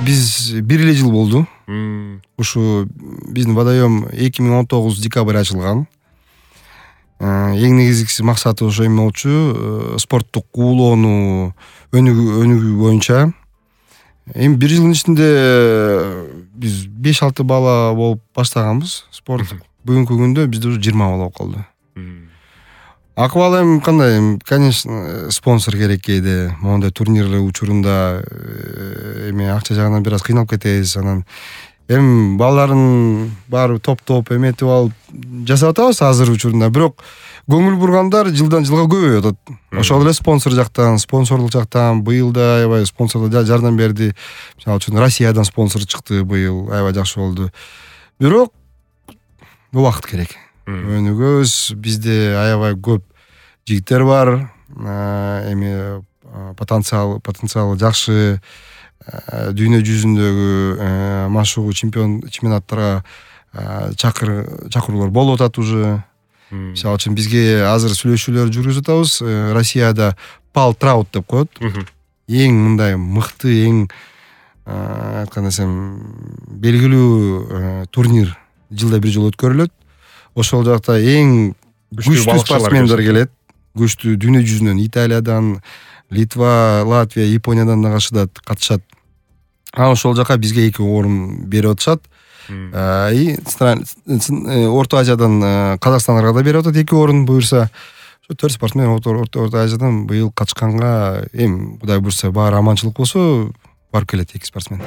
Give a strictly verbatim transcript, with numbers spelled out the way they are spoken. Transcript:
биз бир эле жыл болду. Ушу биздин водоем эки миң он тогуз декабрь ачылган. Эң негизгиси максаты ошо эме болчу, спорттук уулоону өнүгүү өнүгүү боюнча. Эми бир жылдын ичинде биз беш алты бала болуп баштаганбыз спорт. Бүгүнкү күндө бизде уже жыйырма бала болуп калды. Акыбал эми кандай, конечно, спонсор керек кейде. Мондай турнир учурунда эми акча жагынан бир аз кыйналып кетебиз. Анан эми балдардын баары топ-топ эметип алып жасап атабыз азыр учурунда. Бирок көңүл бургандар жылдан жылга көбөйүп атат. Ошол эле спонсор жактан, спонсорлук жактан быйыл да аябай спонсорлор жардам берди. Мисалы үчүн Россиядан спонсор чыкты быйыл, аябай жакшы болду. Бирок убакыт керек. Өнүгөбүз, бизде аябай көп жигиттер бар, эми потенциал потенциалы жакшы, дүйнө жүзүндөгү машыгуу чемпион чемпионаттарга чакыр чакыруулар болуп атат уже. Мисалы үчүн бизге азыр сүйлөшүүлөр жүргүзүп атабыз. Россияда Пал Траут деп коет. Эң мындай мыкты, эң айткан десем белгилүү турнир жылда бир жолу өткөрүлөт. Ошол жакта эң күчтүү спортсмендер келет. Күчтүү дүйнө жүзүнөн, Италиядан, Литва, Латвия, Япониядан да катышат. А ошол жака бизге эки орун берип атышат. И Орто Азиядан Казакстанга да берип атат эки орун буюрса. Ошо төрт спортсмен Орто Азиядан быйыл катышканга, эми Кудай буйрса баары аманчылык болсо барып келет эки спортсмен.